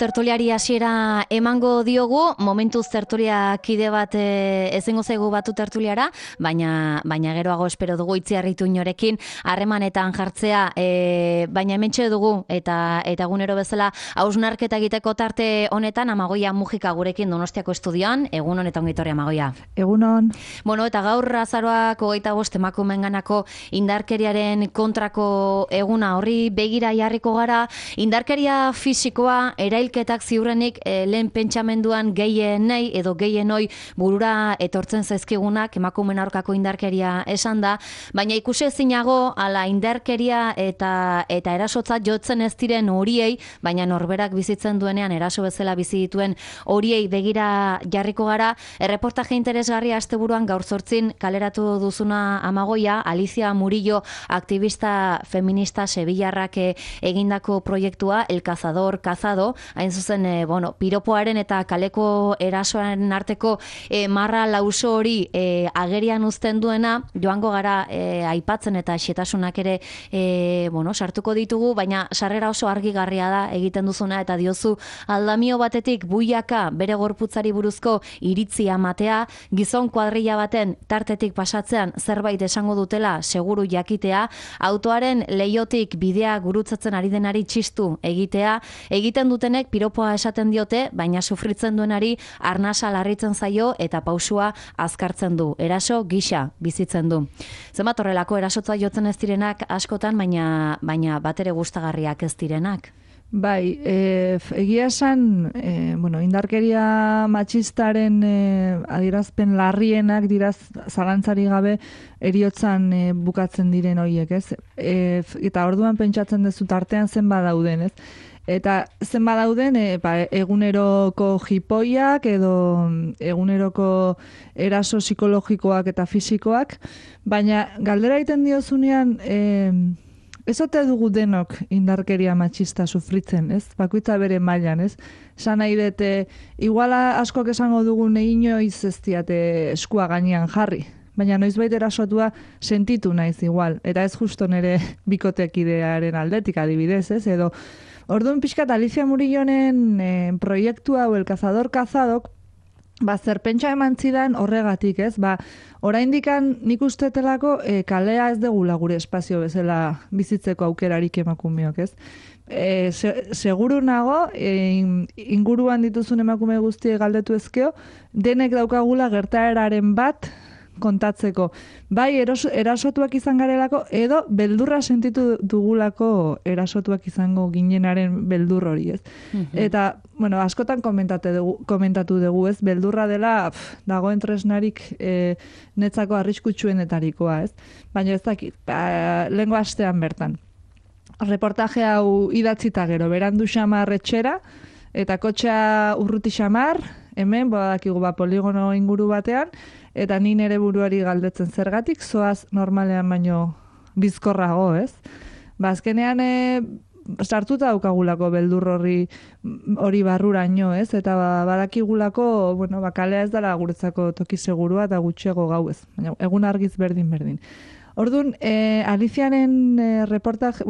Tertuliari hasiera emango diogu, momentuz tertulia kide bat ezingo zaigu batu tertuliara, baina geroago espero dugu Itziarritu inorekin harremanetan jartzea, baina hementxe dugu eta egunero bezala hausnarketa egiteko tarte honetan Amagoia Mujika gurekin Donostiako estudioan. Egun honetan ongitorri Amagoia. Egunon. Bueno, eta gaur azaroak 25 emakumeenganako indarkeriaren kontrako eguna, horri begira jarriko gara. Indarkeria fisikoa, erailketak ziurrenik lehen pentsamenduan gehienei edo gehienoi burura etortzen zaizkigunak emakumeen aurkako indarkeria esan da, baina ikusi ezinago ala indarkeria eta erasotza jotzen ez diren horiei, baina norberak bizitzen duenean eraso bezala bizi dituen horiei begira jarriko gara. Erreportaje interesgarria asteburuan gaur 8 kaleratu duzuna Amagoia, Alicia Murillo aktivista feminista sevillarrak egindako proiektua El Cazador Cazado, hain zuzen piropoaren eta kaleko erasoaren arteko marra lauso hori agerian uzten duena, joango gara aipatzen eta xetasunak ere sartuko ditugu, baina sarrera oso argigarria da egiten duzuna eta diozu aldamio batetik buiaka bere gorputzari buruzko iritzia matea, gizon kuadrilla baten tartetik pasatzean zerbait esango dutela seguru jakitea, autoaren leiotik bidea gurutzatzen ari denari txistu egitea, egiten dutenek piropoa esaten diote, baina sufritzen duenari arnasa larritzen zaio eta pausua azkartzen du. Eraso gisa bizitzen du. Zenbat horrelako erasotza jotzen ez direnak askotan, baina batere gustagarriak ez direnak. Bai, egia esan, indarkeria matxistaren adierazpen larrienak diraz zalantzari gabe eriotzan bukatzen diren horiek, ez? Eta orduan pentsatzen duzu tartean zenbat dauden, ez? Eta zenbat dauden eguneroko jipoiak edo eguneroko eraso psikologikoak eta fisikoak, baina galdera egiten diozunean ez ote dugu denok indarkeria matxista sufritzen, ez? Bakoitza bere mailan, ez? Esan nahi dut, iguala askok esango dugu inoiz ez diate eskua gainean jarri, baina noizbait erasotua sentitu naiz igual, eta ez justo nire bikotekidearen aldetik adibidez, ez? Edo, orduan pixkat Alicia Murillonen proiektua hau El Cazador Cazadok, zerpentsa eman zidan horregatik, ez? Oraindikan nik ustetelako kalea ez degula gure espazio bezala bizitzeko aukerarik emakumeok, ez? Seguru nago, inguruan dituzun emakume guztiek galdetu ezkeo, denek daukagula gertaeraren bat kontatzeko. Bai, erasotuak izan garelako, edo beldurra sentitu dugulako erasotuak izango ginenaren beldur hori, ez? Eta, askotan komentatu dugu, ez? Beldurra dela dagoen tresnarik netzako arriskutsuenetarikoa, ez? Baina ez dakit, lehengo astean bertan. Reportaje hau idatzita gero, berandu xamar etxera, eta kotxea urruti xamar, hemen, badakigu poligono inguru batean, eta ni nere buruari galdetzen zergatik, zoaz normalean baino bizkorrago, ez? Azkenean sartuta daukagulako beldur hori barruraino, ez? Eta badakigulako, kalea ez dela guretzako toki segurua eta gutxego gau, ez? Baina egun argiz berdin. Orduan, Aliciaren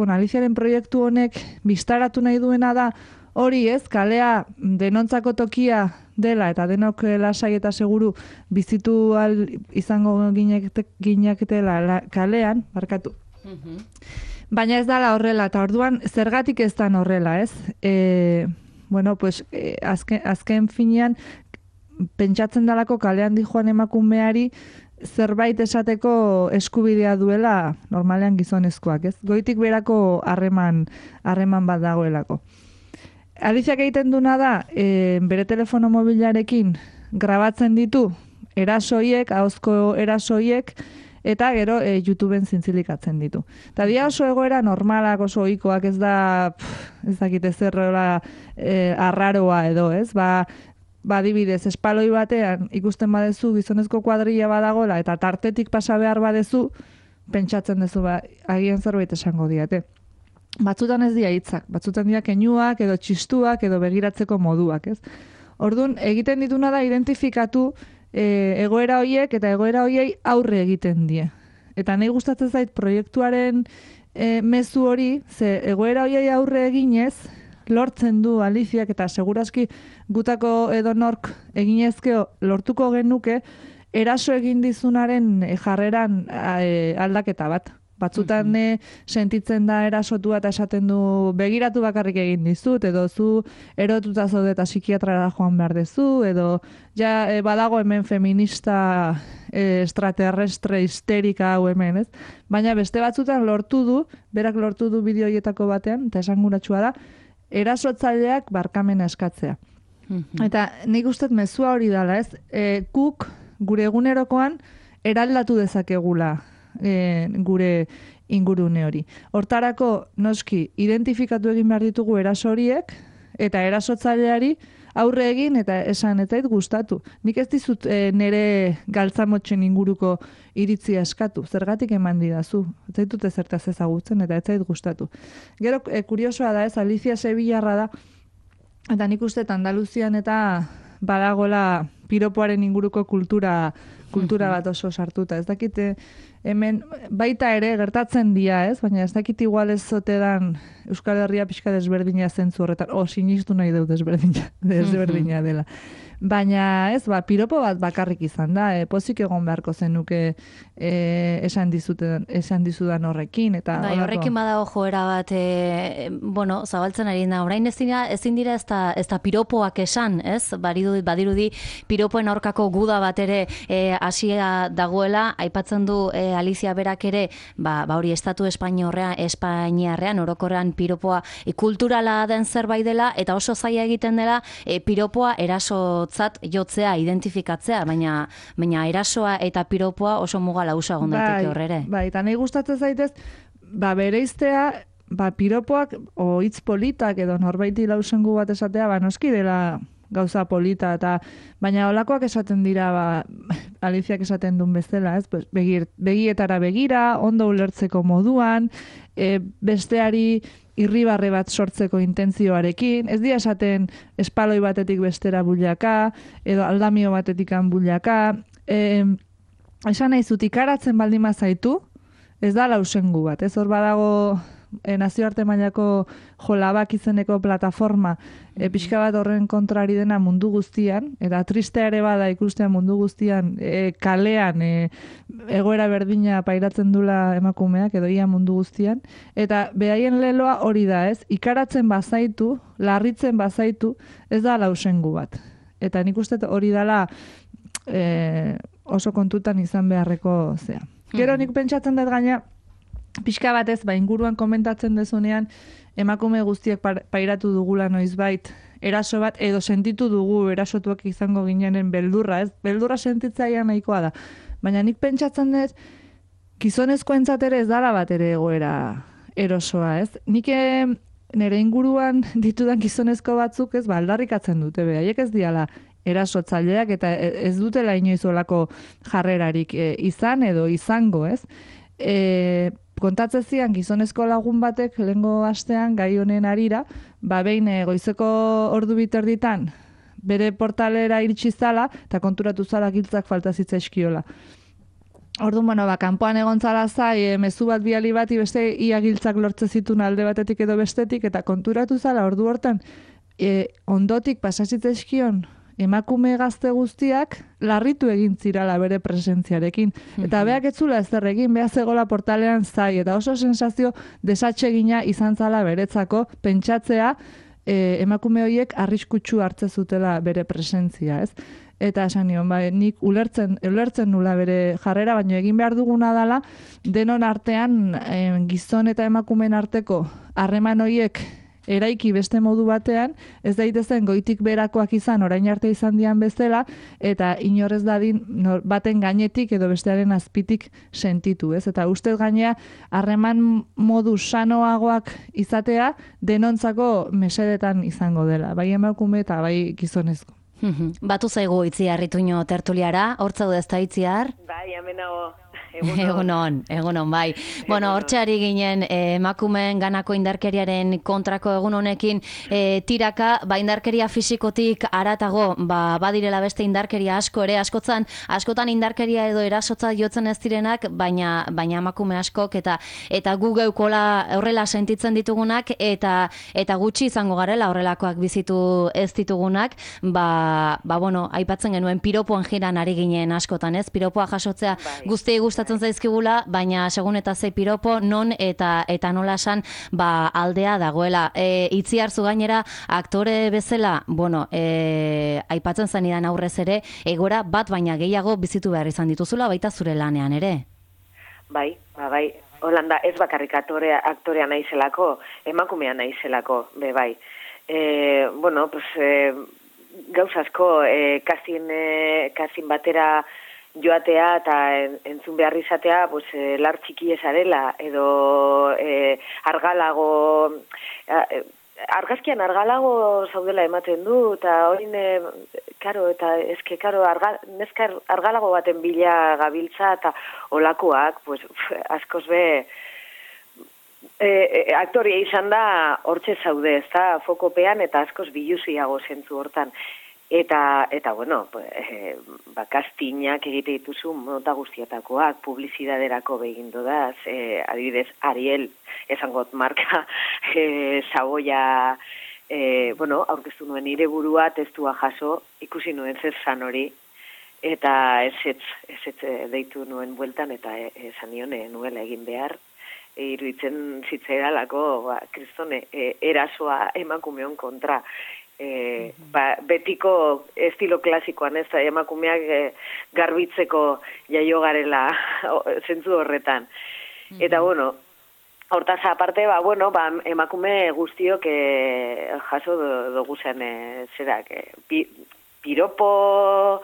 Aliciaren proiektu honek biztaratu nahi duena da, hori ez, kalea denontzako tokia dela eta denok lasai eta seguru bizitu izango ginaketela kalean, barkatu. Baina ez dala horrela, eta orduan zergatik ez dan horrela, ez? Azken finean pentsatzen dalako kalean dijoan emakumeari zerbait esateko eskubidea duela normalean gizonezkoak, ez? Goitik berako harreman bat dagoelako. Aliziak egiten duna da, bere telefono mobilarekin grabatzen ditu erasoiek, ahozko erasoiek, eta gero YouTubeen zintzilikatzen ditu. Eta dia oso egoera normalak, oso ohikoak, ez dakit ezerrola arraroa edo, ez? Adibidez, espaloi batean ikusten badezu gizonezko kuadrilla badagola eta tartetik pasa behar badezu, pentsatzen duzu agian zerbait esango diate. Batzutan ez dira hitzak, batzutan dira keinuak edo txistuak edo begiratzeko moduak, ez? Orduan, egiten dituna da identifikatu egoera horiek eta egoera horiei aurre egiten die. Eta nahi gustatzen zait proiektuaren mezu hori, ze egoera horiei aurre eginez, lortzen du Aliziak, eta segurazki gutako edonork eginezkeo lortuko genuke, eraso egin dizunaren jarreran aldaketa bat. Batzutan sentitzen da erasotua eta esaten du begiratu bakarrik egin dizut, edo zu erotuta zaude eta psikiatrara joan behar dezu, edo badago hemen feminista extraterrestre histerika hau hemen, ez? Baina beste batzutan berak lortu du bideo horietako batean, eta esanguratsua da, erasotzaileak barkamena eskatzea. Eta nik uste mezua hori dela, ez? Guk gure egunerokoan eraldatu dezakegula gure ingurune hori. Hortarako, noski, identifikatu egin behar ditugu eraso horiek, eta erasotzaileari aurre egin eta esan ez zait gustatu. Nik ez dizut nire galtzamotxen inguruko iritzia eskatu. Zergatik eman didazu. Ez zaitut ezertaz ezagutzen eta ez zait gustatu. Gero, kuriosoa da ez, Alicia Sevillarra da, eta nik uste Andaluzian eta badagola piropoaren inguruko kultura bat oso sartuta. Ez dakite hemen baita ere gertatzen dira, ez? Baina ez dakit igual ez zotedan Euskal Herria pixka desberdina zentzu horretan. Sinistu nahi dut desberdina dela. Baina ez, piropo bat bakarrik izan da, pozik egon beharko zenuke esan dizudan horrekin. Eta bai, horrekin badago joera bat, zabaltzen ari da. Orain ezin dira ez da piropoak esan, ez? Badirudi piropoen aurkako guda bat ere hasia dagoela, aipatzen du Alicia berak ere, hori estatu Espainiarrean, orokorrean piropoa kulturala den zerbait dela, eta oso zaila egiten dela piropoa erasotzat jotzea, identifikatzea, baina erasoa eta piropoa oso muga lausa gondaiteke horrere. Bai, eta nahi gustatzen zaitez, bereiztea, piropoak, hitz politak edo norbaiti lausengu bat esatea, noski dela gauza polita, baina olakoak esaten dira, Aliziak esaten duen bezala, ez? Begietara begira, ondo ulertzeko moduan, besteari irribarre bat sortzeko intentzioarekin, ez dira esaten espaloi batetik bestera bullaka, edo aldamio batetik bullaka, esan nahi zut, ikaratzen baldin mazaitu, ez da lausengu bat, ez hor badago nazioarte mailako jolabak izeneko plataforma pixka bat horren kontrari dena mundu guztian, eta tristea ere bada ikustea mundu guztian kalean egoera berdina pairatzen dula emakumeak, edo ia mundu guztian, eta behaien leloa hori da, ez? Ikaratzen bazaitu, larritzen bazaitu, ez da lausengu bat. Eta nik uste hori dela oso kontutan izan beharreko zea. Gero nik pentsatzen dut gaina, pixka batez, inguruan komentatzen dezunean, emakume guztiak pairatu dugula noizbait, eraso bat, edo sentitu dugu erasotuak izango ginenen beldurra, ez? Beldurra sentitzaia nahikoa da. Baina nik pentsatzen dut, gizonezkoentzat ere ez dara bat ere egoera erosoa, ez? Nik nire inguruan ditudan gizonezko batzuk, ez, aldarrikatzen dute, haiek ez diala erasotzaileak, eta ez dutela inoizolako jarrerarik izan edo izango, ez? Kontatzen zian gizonezko lagun batek lehengo astean gai honen harira, behin goizeko ordu biterditan bere portalera iritsi zala eta konturatu zala giltzak falta zitzaizkiola. Orduan, kanpoan egon zala zai, mezu bat biali bati beste ia giltzak lortze zitun alde batetik edo bestetik, eta konturatu zala ordu hortan ondotik pasazitzaizkion emakume gazte guztiak larritu egin zirala bere presentziarekin. Eta beak etzula ezer egin, beha zegola portalean zai, eta oso sensazio desatsegina izan zala beretzako pentsatzea emakume horiek arriskutsu hartze zutela bere presentzia, ez? Eta esan nion, nik ulertzen nula bere jarrera, baina egin behar duguna dela, denon artean gizon eta emakumeen arteko harreman horiek eraiki beste modu batean, ez daitezen goitik berakoak izan, orain arte izan dian bezala, eta inorrez dadin baten gainetik edo bestearen azpitik sentitu, ez? Eta ustez gainea, harreman modu sanoagoak izatea, denontzako mesedetan izango dela, bai emakume eta bai gizonezko. Batu zaigu Itziar Ituño tertuliara, hortza du ezta Itziar? Bai, hemen nago. Egunon, bai. Bueno, hortxe ari ginen emakumeen ganako indarkeriaren kontrako egun honekin tiraka, indarkeria fisikotik haratago, badirela beste indarkeria asko ere, askotan indarkeria edo erasotza jotzen ez direnak, baina emakume askok eta gu geukola horrela sentitzen ditugunak eta gutxi izango garela horrelakoak bizitu ez ditugunak, bueno, aipatzen genuen piropoan jiran ari ginen askotan, ez? Piropoa jasotzea guztiei gustatzen zaizkigula, baina segun eta ze piropo non eta nola esan aldea dagoela. Itziarzu gainera aktore bezala, bueno, aipatzen zenidan aurrez ere, egora bat baina gehiago bizitu behar izan dituzula, baita zure lanean ere. Bai. Holanda ez bakarrik aktorea naizelako, emakumea naizelako, bai. Bueno, pues gauzazko kastin batera joatea eta entzun behar izatea, pues, lar txiki esarela, edo argazkian argalago zaudela ematen du, eta hori neska argalago baten bila gabiltza, eta olakoak, pues, askoz be, aktoria izan da hortxe zaude, ez da, fokopean, eta askoz biluziago zentzu hortan. Eta bueno, kastinak egite dituzu mota guztietakoak, publizidaderako begindu da, adibidez, Ariel, esangot marka, Saboia, bueno, aurkeztu nuen nire burua, testua jaso, ikusi nuen zer zan hori, eta ez deitu nuen bueltan, eta esan nion nuela egin behar, iruditzen zitzaidalako, kristone, erasoa emakumeon kontra, betiko estilo klasikoan, ez da, emakumeak garbitzeko jaio garela zentzu horretan. Eta, bueno, hortaz aparte, bueno, emakume guztiok jaso dugu zen zerak, piropo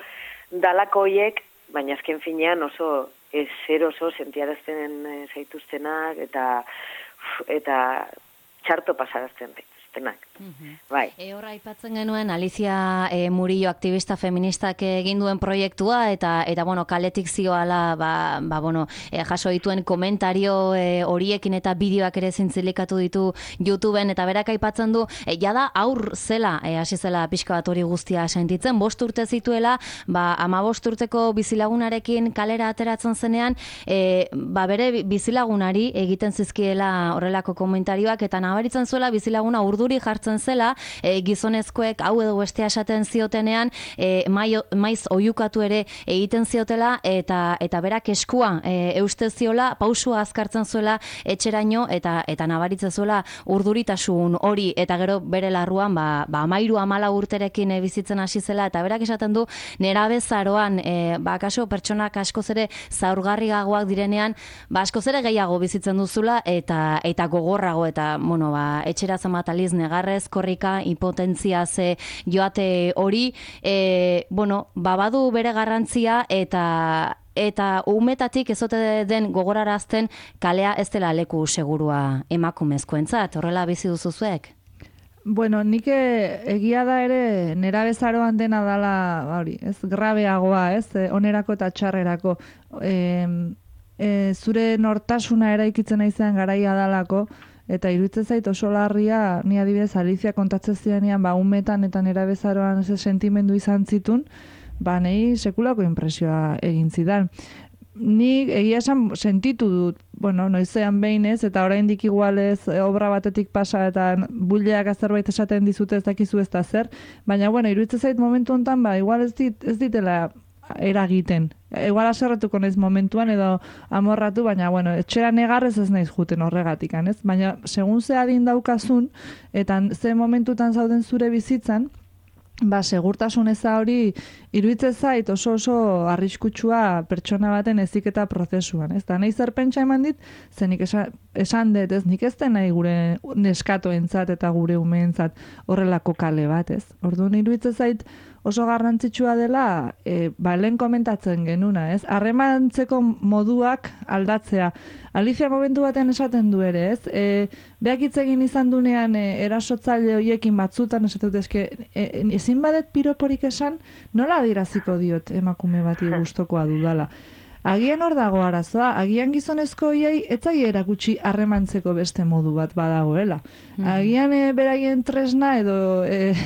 dalakoiek, baina azken finean oso oso sentiarazten zaituztenak eta txarto pasarazten zaituztenak. Bai. Horra aipatzen genuen Alicia Murillo aktivista feministak egin duen proiektua eta bueno, kaletik zioala bueno, jaso dituen komentario horiekin eta bideoak ere zintzilikatu ditu YouTubeen eta berak aipatzen du jada aur zela, hasi zela pixka bat hori guztia sentitzen, 5 urte zituela, 15 urteko bizilagunarekin kalera ateratzen zenean, bere bizilagunari egiten zizkiela horrelako komentarioak eta nabaritzen zuela bizilaguna urduri jartzen zela, gizonezkoek hau edo bestea esaten ziotenean maiz oiukatu ere egiten ziotela eta berak eskua euste ziola, pausua azkartzen zuela etxeraino eta nabaritzen zuela urduritasun hori eta gero bere larruan 13-14 urterekin bizitzen hasi zela eta berak esaten du nerabezaroan kaso pertsonak askoz ere zaurgarriagoak direnean askoz ere gehiago bizitzen duzula eta gogorrago eta bueno, etxera zamataliz negarrez, korrika, impotentzia ze joate hori, bueno, badu bere garrantzia eta umetatik ezote den gogorarazten kalea ez dela leku segurua emakumezkoentzat, horrela bizi duzuzuek? Bueno, nik egia da ere nerabezaroan dena dala, hori, ez grabeagoa, ez, onerako eta txarrerako. Zure nortasuna eraikitzen aizean garaia dalako, eta iruditzen zait oso larria, ni adibidez Alicia kontatzen zidanean, umetan eta nerabezaroan ze sentimendu izan zitun, nahi sekulako inpresioa egin zidan. Ni egia esan sentitu dut, bueno, noizean behin ez, eta oraindik igualez obra batetik pasa eta buleak zerbait esaten dizute ez dakizu ez da zer, baina bueno, iruditzen zait momentu honetan, igual ez ditela eragiten. Igual aserretuko naiz momentuan edo amorratu, baina bueno, etxera negarrez ez naiz juten horregatik, ez? Baina segun ze adin daukazun eta ze momentutan zauden zure bizitzan, segurtasun eza hori iruditzen zait oso arriskutsua pertsona baten heziketa prozesuan, ez? Da nahi zer pentsa eman dit, zenik esan dut, ez? Nik ez den nahi gure neskatoentzat eta gure umeentzat horrelako kale bat, ez? Orduan iruditzen zait oso garrantzitsua dela, lehen komentatzen genuna, ez? Harremantzeko moduak aldatzea. Alicia momentu baten esaten du ere, ez? Beak hitz egin izan dunean erasotzaile horiekin batzutan esatut eske ezin badet piroporik esan, nola adiraziko diot emakume bati gustokoa dudala. Agian hor dago arazoa, agian gizonezko hiei etzaile erakutsi harremantzeko beste modu bat badagoela. Agian beraien tresna edo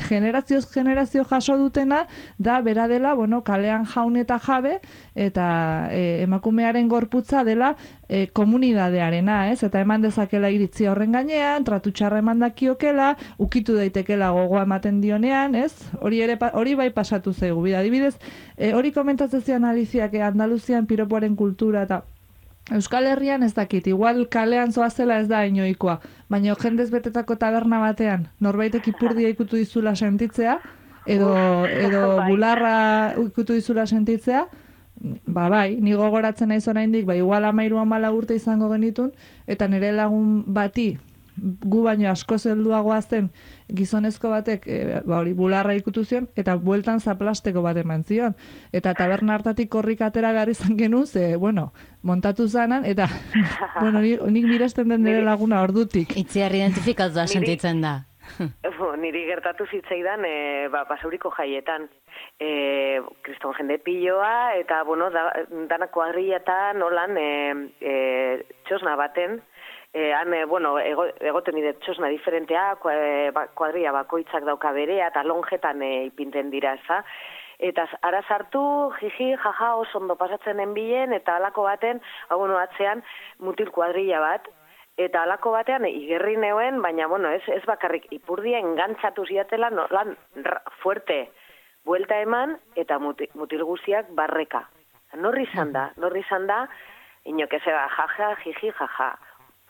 generazioz generazio jaso dutena da bera dela, kalean jaun eta jabe eta emakumearen gorputza dela komunidadearena, ez? Eta eman dezakela iritzi horren gainean, tratu txarra eman dakiokela, ukitu daitekela gogoa ematen dionean, ez? Hori bai pasatu zaigu. Adibidez, hori komentatzen zian Aliziak Andaluzian piropoaren kultura eta Euskal Herrian ez dakit, igual kalean zoazela ez da inoikoa, baina jendez betetako taberna batean, norbaitek ipurdia ikutu dizula sentitzea, edo bularra ikutu dizula sentitzea, bai, ni gogoratzen naiz oraindik, igual 13-14 urte izango genitun, eta nire lagun bati, gu baino asko zelduagoa zen gizonezko batek hori bularra ikutu zion, eta bueltan zaplasteko bat eman zion. Eta taberna hartatik korrik atera behar izan genuen, montatu zanan, eta nik miresten den nire laguna ordutik. Itziar identifikatu sentitzen da. Niri gertatu zitzaidan basauriko jaietan. Kriston jende piloa, eta danak kuadrilletan holan txosna baten, egoten dira txosna diferentea, kuadrilla bakoitzak dauka berea, eta lonjetan ipinten dira, eza. Eta ara sartu, jiji, jaja, oso ondo pasatzen enbilen, eta alako baten, atzean mutil kuadrilla bat, eta alako batean igerri neuen, baina, ez bakarrik ipurdia engantzatu ziatela, lan fuerte, buelta eman, eta mutil guziak barreka. Norri izan da, inok ezeba, jaja, jiji, jaja.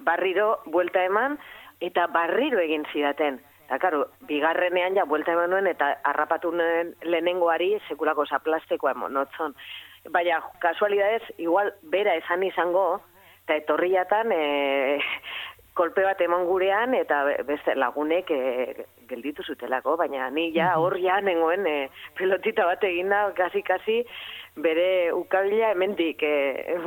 Barriro buelta eman, eta barriro egin zidaten. Eta, karo, bigarrenean buelta eman nuen, eta harrapatu nuen lehenengoari sekulako zaplastekoa monotzon. Baina, kasualidadez, igual, bera esan izango, eta etorriatan kolpe bat eman gurean, eta beste lagunek gelditu zutelako, baina ni hor nengoen pelotita bat eginda, kasi bere ukabila hemendik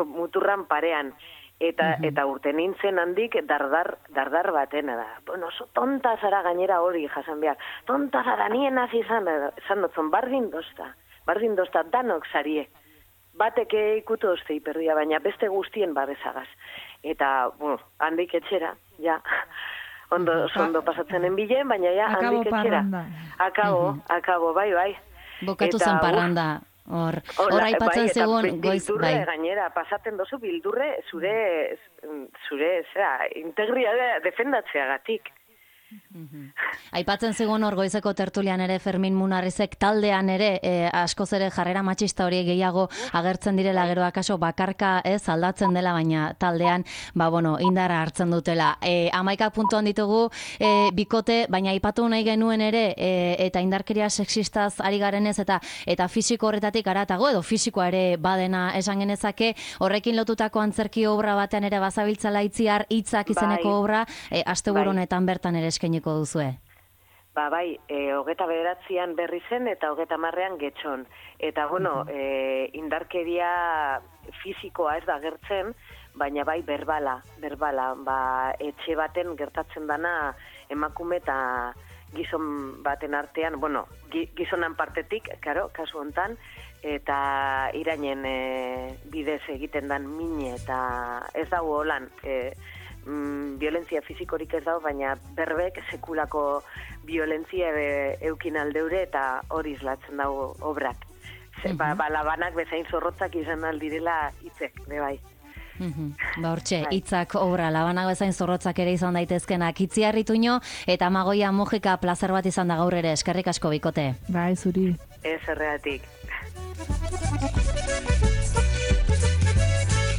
muturran parean. Eta urte nintzen handik dardar batena da. Oso tonta zara gainera hori jasan behar. Tonta zara nien hasi izan dotzon, bardin dozta danok zarie. Batek ikutu dozte hiperdia, baina beste guztien babesagaz. Eta, handik etxera, ondo pasatzen enbilen, baina handik etxera. Akabo, bai. Bokatu zen parranda. Hor aipatzen zegoen goiz, bai. Gainera, pasaten dozu bildurre zure integridadea defendatzeagatik. Aipatzen zegoen hor goizeko tertulian ere Fermin Munarrizek taldean ere askoz ere jarrera matxista hori gehiago agertzen direla, gero akaso bakarka ez aldatzen dela, baina taldean indarra hartzen dutela. 11 puntuan ditugu bikote, baina aipatu nahi genuen ere eta indarkeria sexistaz ari garenez eta fisiko horretatik haratago edo fisikoa ere badena esan genezake, horrekin lotutako antzerki obra batean ere bazabiltzala Itziar hitzak izeneko obra, asteburu honetan bertan ere eskainiko duzue. Bai, 29an berri zen eta 30ean getxon. Eta, indarkeria fisikoa ez da gertzen, baina bai berbala. Etxe baten gertatzen dana emakume eta gizon baten artean, gizonan partetik, kasu hontan, eta irainen bidez egiten dan mine, eta ez dago holan, violentzia fisikorik ez dago, baina berbek sekulako violentzia eukin aldeure eta hori islatzen dago obrak. Labanak bezain zorrotzak izan aldirela hitzek, bai. Hortxe, hitzak obra, labanak bezain zorrotzak ere izan daitezkenak. Itziar Ituño eta Amagoia Mujika plazer bat izan da gaur ere, eskerrik asko bikote. Bai, zuri. Ez erreatik.